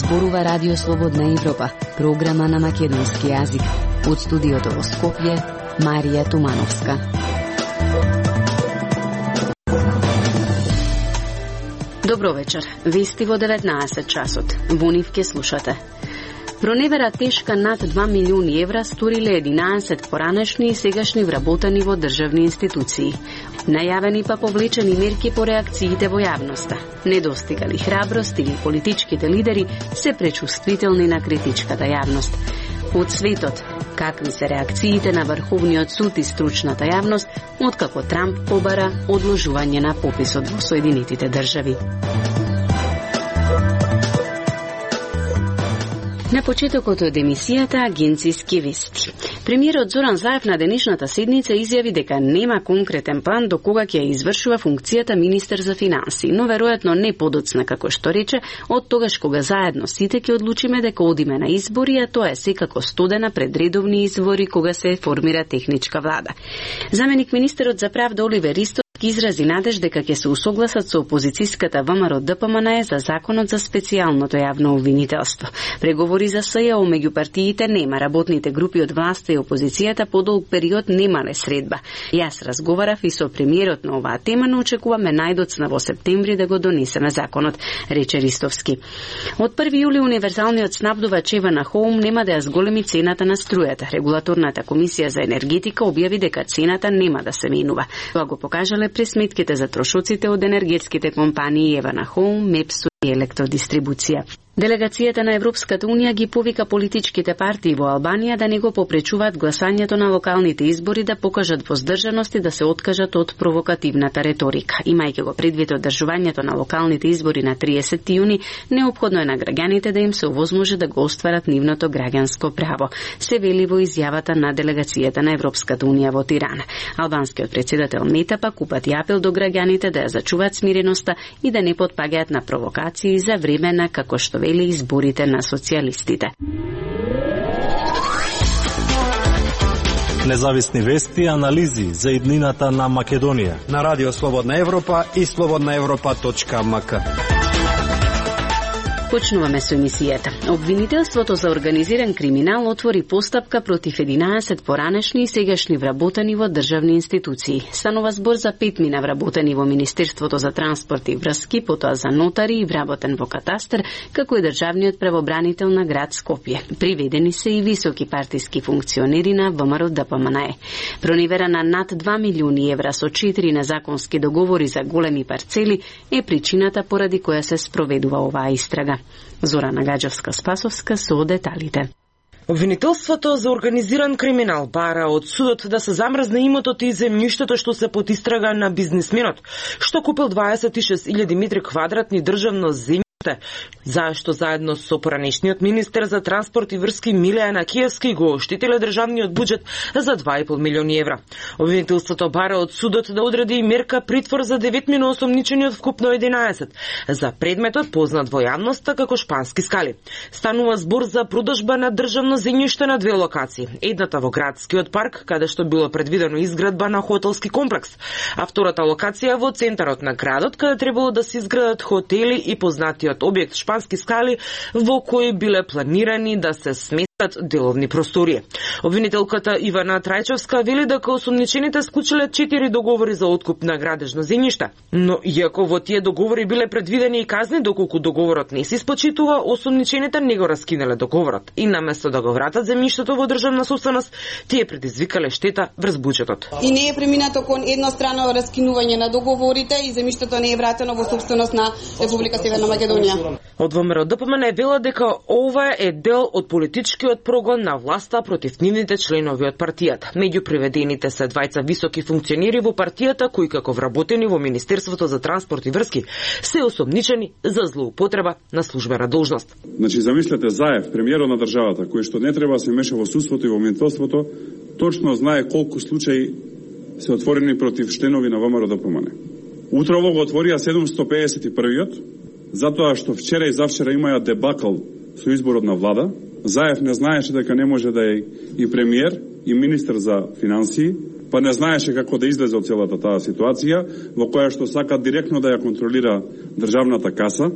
Зборува Радио Слободна Европа, програма на македонски јазик. Од студиото во Скопје, Марија Тумановска. Добро вечер. Вести во 19 часот. Во нив ке слушате. Проневера тешка над 2 милиони евра сториле 11 поранешни и сегашни вработени во државни институции. Најавени па повлечени мерки по реакциите во јавноста. Недостигали храброст или политичките лидери се пречувствителни на критичката јавност. Од светот, какви се реакциите на Врховниот суд и стручната јавност, откако Трамп побара одложување на пописот во Соединетите држави. На почетокот од емисијата Агенциски вести. Премиерот Зоран Заев на денешната седница изјави дека нема конкретен план до кога ќе извршува функцијата министер за финансии, но веројатно не подоцна како што рече, од тогаш кога заедно сите ќе одлучиме дека одиме на избори, а тоа е секако студена пред редовни избори кога се формира техничка влада. Заменик министерот за правда Оливер Ристо изрази надеж дека ќе се усогласат со опозицијската ВМРО-ДПМН за законот за специјалното јавно обвинителство. Преговори за СЈО меѓу партиите нема, работните групи од власта и опозицијата по долг период немале средба. Јас разговарав и со премиерот на оваа тема, но очекуваме најдоцна во септември да го донесеме законот, рече Ристовски. Од 1 јули универзалниот снабдувач Евана Хоум нема да ја зголеми цената на струјата. Регулаторната комисија за енергетика објави дека цената нема да се менува. Тоа го покажале пресметките за трошоците од енергетските компании Евана Хоум, Мепсу и Електродистрибуција. Делегацијата на Европската Унија ги повика политичките партии во Албанија да не го попречуваат гласањето на локалните избори, да покажат воздржаност и да се откажат од провокативната реторика. Имајќи го предвид одржувањето на локалните избори на 30 јуни, неопходно е на граѓаните да им се овозможи да го остварат нивното граѓанско право, се вели во изјавата на делегацијата на Европската Унија во Тирана. Албанскиот претседател Мета пак упати апел до граѓаните да ја зачуваат смиреноста и да не потпагаат на провокации за време на, како што вели, изборите на социјалистите. Независни вести и анализи за иднината на Македонија на Радио Слободна Европа и slobodnaevropa.mk. Почнуваме со емисијата. Обвинителството за организиран криминал отвори постапка против 11 поранешни и сегашни вработени во државни институции. Станува збор за 5 мина вработени во Министерството за транспорт и врски, потоа за нотари и вработен во катастар, како и државниот правобранител на град Скопје. Приведени се и високи партиски функционери на ВМРО-ДПМН. Проневера на над 2 милиони евра со 4 незаконски договори за големи парцели е причината поради која се спроведува оваа истрага. Зорана Гаџевска-Спасовска со деталите. Обвинителството за организиран криминал бара од судот да се замрзне имотот и земјиштето што се под истрага на бизнисменот, што купил 26.000 метри квадратни државно земјиште, зашто заедно со поранешниот министер за транспорт и врски Милеја Накиевски го оштетиле државниот буџет за 2,5 милиони евра. Обвинителството бара од судот да одреди мерка притвор за 9 мина осомничениот вкупно 11 за предметот познат во јавноста како шпански скали. Станува збор за продажба на државно земјиште на две локации. Едната во градскиот парк, каде што било предвидено изградба на хотелски комплекс, а втората локација во центарот на градот, каде требало да се изградат хотели и познатиот објект шпански скали, во кои биле планирани да се сместат деловни простории. Обвинителката Ивана Трајчовска вели дека осомничените склучиле 4 договори за откуп на градежно земјиште, но иако во тие договори биле предвидени и казни доколку договорот не се исплачитува, осомничените не го раскинале договорот и наместо да го вратат земјиштето во државна собственост, тие предизвикале штета врз буџетот. И не е преминато кон еднострано раскинување на договорите и земјиштето не е вратено во собственост на Република Северна Македонија. Од ВМРО-ДПМН вела дека ова е дел од политичкиот прогон на власта против нивните членови од партијата. Меѓу приведените се двајца високи функционери во партијата кои како вработени во Министерството за транспорт и врски се осомничени за злоупотреба на службена должност. Значи замислете Заев, премиерот на државата, кој што не треба да се меша во судството и во обвинителството, точно знае колку случаи се отворени против членови на ВМРО-ДПМН. Утрово го отворија 751-иот, затоа што вчера и завчера имаја дебакл со изборот на влада. Заев не знаеше дека не може да е и премиер, и министер за финансии, па не знаеше како да излезе од целата таа ситуација, во која што сака директно да ја контролира државната каса.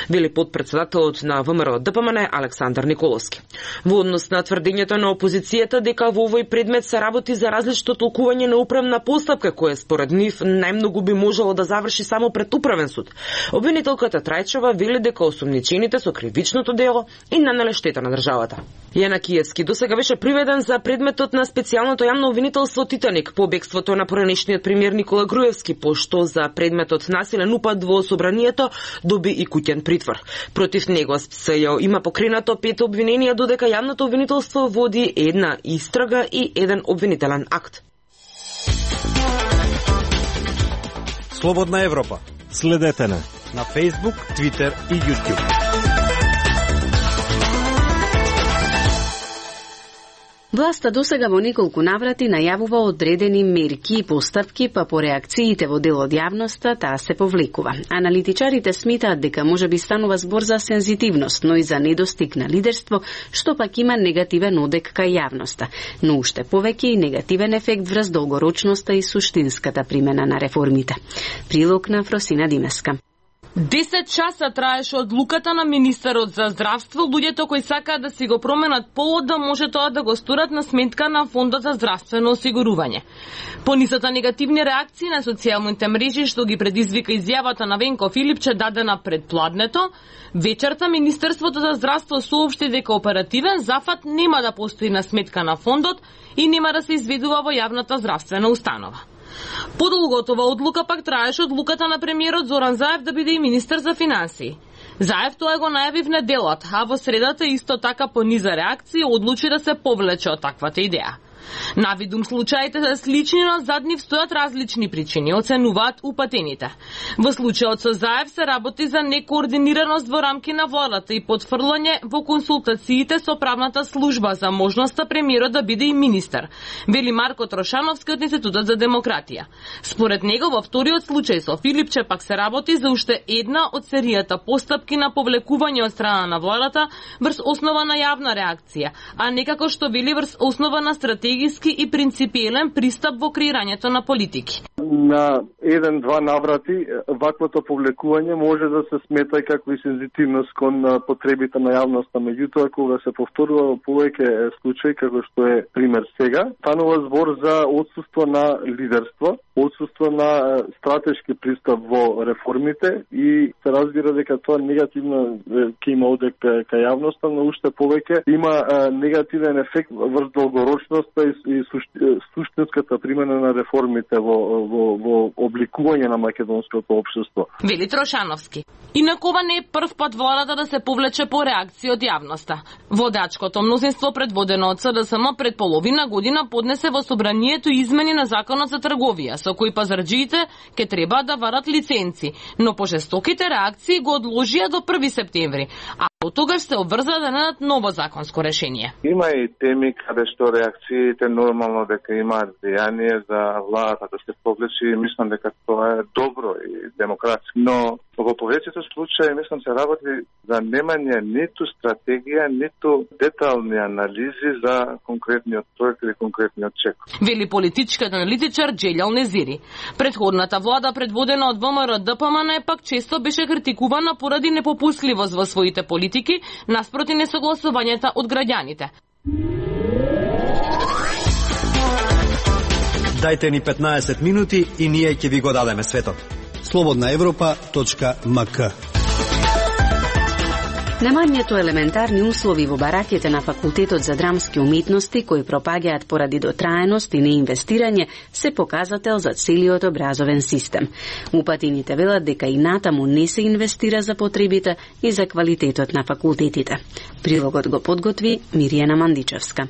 Вели подпредседателот на ВМРО ДПМН Александар Николовски. Во однос на тврдењето на опозицијата дека во овој предмет се работи за различно толкување на управна постапка, која според нив најмногу би можело да заврши само пред управен суд, обвинителката Трајчева вели дека осумничените со кривичното дело и нанеле штета на државата. Јана Киевски досега беше приведен за предметот на специјалното јавно обвинителство Титаник по бегството на поранешниот премиер Никола Груевски, пошто за предметот насилен упад во собранието доби и куќен притвор. Против него СЈО има покренато 5 обвиненија, додека јавното обвинителство води една истрага и еден обвинителен акт. Слободна Европа. Следете на Facebook, Twitter и YouTube. Власта досега во неколку наврати најавува одредени мерки и постапки, па по реакциите во дел од јавноста таа се повлекува. Аналитичарите сметаат дека може би станува збор за сензитивност, но и за недостиг на лидерство, што пак има негативен одек кај јавноста, но уште повеќе и негативен ефект врз долгорочноста и суштинската примена на реформите. Прилог на Фросина Димеска. 10 часа траеше одлуката на министерот за здравство. Луѓето кои сакаат да си го променат полот да може тоа да го сторат на сметка на Фондот за здравствено осигурување. По нисата негативни реакции на социјалните мрежи што ги предизвика изјавата на Венко Филипче дадена пред пладнето, вечерта Министерството за здравство соопшти дека оперативен зафат нема да постои на сметка на фондот и нема да се изведува во јавната здравствена установа. Подолготова одлука пак траеше одлуката на премиерот Зоран Заев да биде и министер за финансии. Заев тоа го најави в неделата, а во средата исто така по низа реакции одлучи да се повлече од таквата идеја. Навидум случаите се слични, но зад нив стојат различни причини, оценуваат упатените. Во случајот со Заев се работи за некоординираност во рамки на владата и потфрлање во консултациите со правната служба за можноста премиерот да биде и министер, вели Марко Трошановски од Институтот за демократија. Според него во вториот случај со Филипче пак се работи за уште една од серијата постапки на повлекување од страна на владата врз основа на јавна реакција, а не како што вели врз основа на стратегија и принципиелен пристап во креирањето на политики. На 1-2 наврати ваквото повлекување може да се смета и како и сензитивност кон потребите на јавноста, меѓутоа кога се повторува во повеќе случаи како што е пример сега, станува збор за отсуство на лидерство, отсуство на стратешки пристап во реформите и се разбира дека тоа негативно ќе има одек кај јавноста, но уште повеќе има негативен ефект врз долгорочноста и суштинската примена на реформите во обликување на македонското општество. Вели Трошановски. Инаку ова не е прв пат владата да се повлече по реакција од јавноста. Водачкото мнозинство предводено од СДСМ пред половина година поднесе во собранието измени на законот за трговија, со кои пазарџиите ќе треба да варат лиценци, но пожестоките реакции го одложија до 1 септември, а од тогаш се обврза да најдат ново законско решение. Има и теми каде што реакциите нормално дека имаат влијание за владата да се повлече и мислам дека тоа е добро и демократски. Но во повеќето случаи мислам се работи за немање ниту стратегија, ниту детални анализи за конкретниот проект или конкретниот чек. Вели политичкиот аналитичар Джелјал Незири. Предходната влада предводена од ВМРО ДПМН пак често беше критикувана поради непопустливост во своите политики наспроти несогласувањата од граѓаните. Дајте ни 15 минути и ние ќе ви го дадеме светот. slobodnaevropa.mk. Немањето елементарни услови во бараките на Факултетот за драмски уметности, кои пропаѓаат поради дотраеност и неинвестирање, се показател за целиот образовен систем. Упатените велат дека и натаму не се инвестира за потребите и за квалитетот на факултетите. Прилогот го подготви Миријана Мандичевска.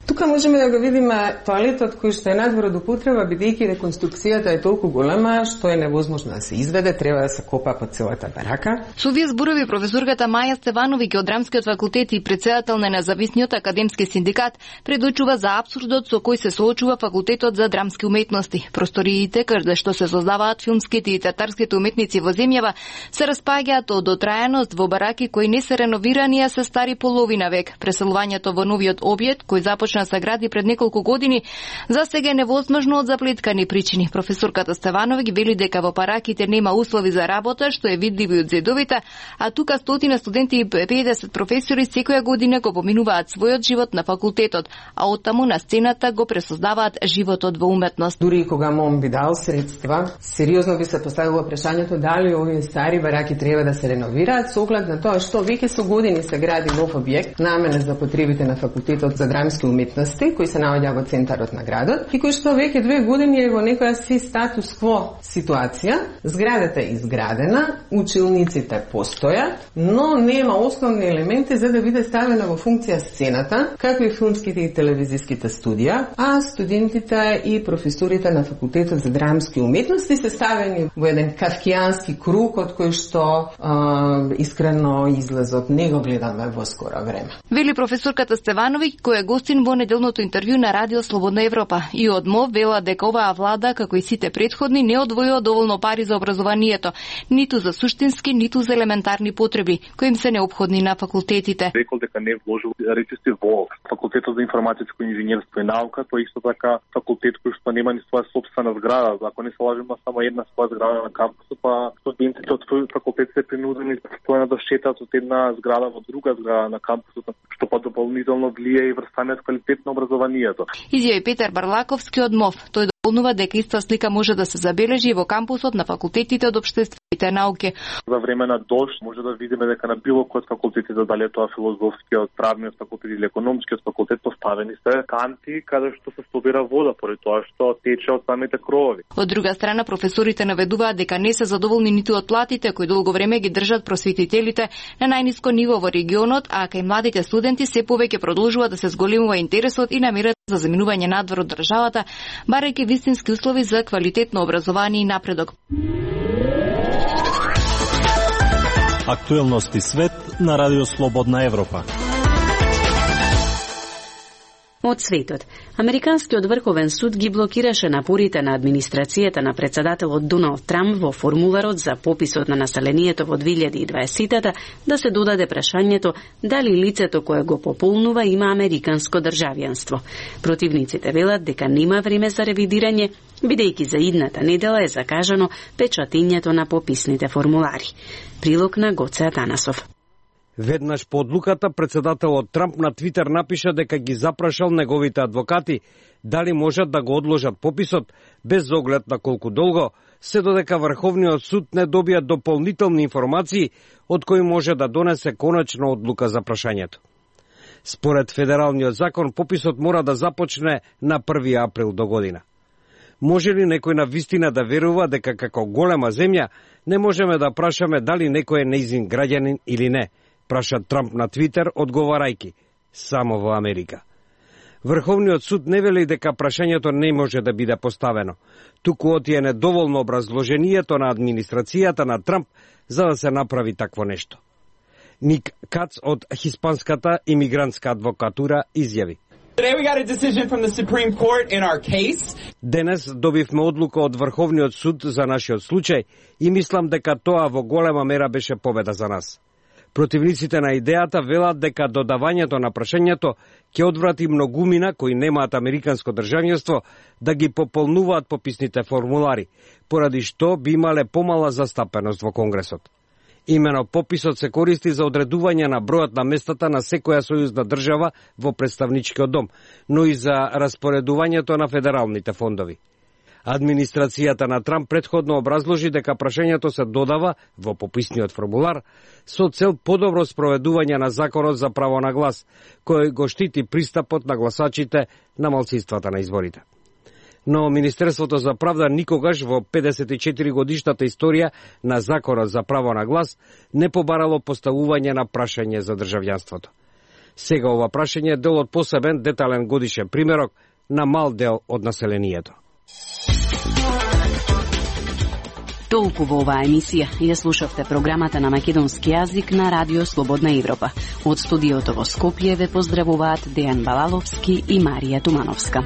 Тука можеме да го видиме тоалетот кој што е надвор од употреба, бидејќи реконструкцијата е толку голема што е невозможно да се изведе, треба да се копа по целата барака. Со овие зборови професорката Маја Стевановиќ од Драмскиот факултет и претседател на Независниот академски синдикат предочува за апсурдот со кој се соочува Факултетот за драмски уметности. Просториите каде што се создаваат филмските и театарските уметници во земјава се распаѓаат од дотраеност во бараки кои не се реновирани, а се стари половина век. Преселувањето во новиот објект кој започна почна да се гради пред неколку години, за сега е невозможно од заплеткани причини. Професорката Стеванови ги вели дека во параките нема услови за работа, што е видливо и од зидовите, а тука 100 студенти и 50 професори секоја година го поминуваат својот живот на факултетот, а оттаму на сцената го пресоздаваат животот во уметност. Дури кога МОМ би дал средства, сериозно би се поставило прашањето дали овие стари бараки треба да се реновираат со оглед на тоа што веќе со години се гради нов објект наменет за потребите на факултетот за драмски уметности, кој се наоѓа во центарот на градот и кој што веќе 2 години е во некоја си статус кво ситуација. Зградата е изградена, училниците постојат, но нема основни елементи за да биде ставена во функција сцената, како и филмските и телевизиските студија, а студентите и професорите на факултетот за драмски уметности се ставени во еден кавкијански круг од кој што искрено излезот не го гледаме во скоро време. Вели професорката Стеванови, која е гостин во неделното интервју на Радио Слободна Европа. И од МОВ вела дека оваа влада, како и сите претходни, не одвојува доволно пари за образованието, ниту за суштински, ниту за елементарни потреби, кои им се неопходни на факултетите. Рекол дека не вложил речисти во факултетот за информатичко инженерство и наука, тој исто така факултет кој што нема ни своја собствена зграда. Ако не се лажеме, само една своја зграда на кампусот, па студентите од факултет се принудени постојано да шетаат од една зграда во друга зграда на кампусот, што па дополнително влијае и врз самиот квалитет на образованието. Изјави Петар Барлаковски од МОВ. Тој дополнува дека иста слика може да се забележи во кампусот на факултетите од општествените науки. За време на дожд може да видиме дека на било кој од факултетите, дали тоа филозофскиот, правниот факултет или економскиот факултет, поставени се канти каде што се собира вода поради тоа што тече од самите кровови. Од друга страна, професорите наведуваат дека не се задоволни ниту од платите кои долго време ги држат просветителите на најниско ниво во регионот, а кај младите студенти се повеќе продолжува да се зголемува интересот и намерат за заминување надвор од државата, барајќи вистински услови за квалитетно образование и напредок. Актуелности свет на Радио Слободна Европа. Од светот. Американскиот врховен суд ги блокираше напорите на администрацијата на председателот Доналд Трамп во формуларот за пописот на населението во 2020 да се додаде прашањето дали лицето кое го пополнува има американско државјанство. Противниците велат дека нема време за ревидирање, бидејќи за идната недела е закажано печатењето на пописните формулари. Прилог на Гоце Атанасов. Веднаш по одлуката, председателот Трамп на Твитер напиша дека ги запрашал неговите адвокати дали можат да го одложат пописот без оглед на колку долго, се додека Врховниот суд не добија дополнителни информации од кои може да донесе конечна одлука за прашањето. Според федералниот закон, пописот мора да започне на 1 април до година. Може ли некој на вистина да верува дека како голема земја не можеме да прашаме дали некој е нејзин граѓанин или не? Праша Трамп на Твитер, одговарајки, само во Америка. Врховниот суд не вели дека прашањето не може да биде поставено. Туку отие недоволно образложението на администрацијата на Трамп за да се направи такво нешто. Ник Кац од Хиспанската имигрантска адвокатура изјави. Денес добивме одлука од Врховниот суд за нашиот случај и мислам дека тоа во голема мера беше победа за нас. Противниците на идејата велат дека додавањето на прашањето ќе одврати многумина кои немаат американско државјанство да ги пополнуваат пописните формулари, поради што би имале помала застапеност во Конгресот. Имено пописот се користи за одредување на бројот на местата на секоја сојузна држава во представничкиот дом, но и за распоредувањето на федералните фондови. Администрацијата на Трамп претходно образложи дека прашањето се додава во пописниот формулар со цел подобро спроведување на законот за право на глас, кој го штити пристапот на гласачите на малцинствата на изборите. Но Министерството за правда никогаш во 54 годишната историја на законот за право на глас не побарало поставување на прашање за државјанството. Сега ова прашање е дел од посебен детален годишен примерок на мал дел од населението. Толку во оваа емисија. Ја слушавте програмата на македонски јазик на Радио Слободна Европа. Од студиото во Скопје ве поздравуваат Дејан Балаловски и Марија Тумановска.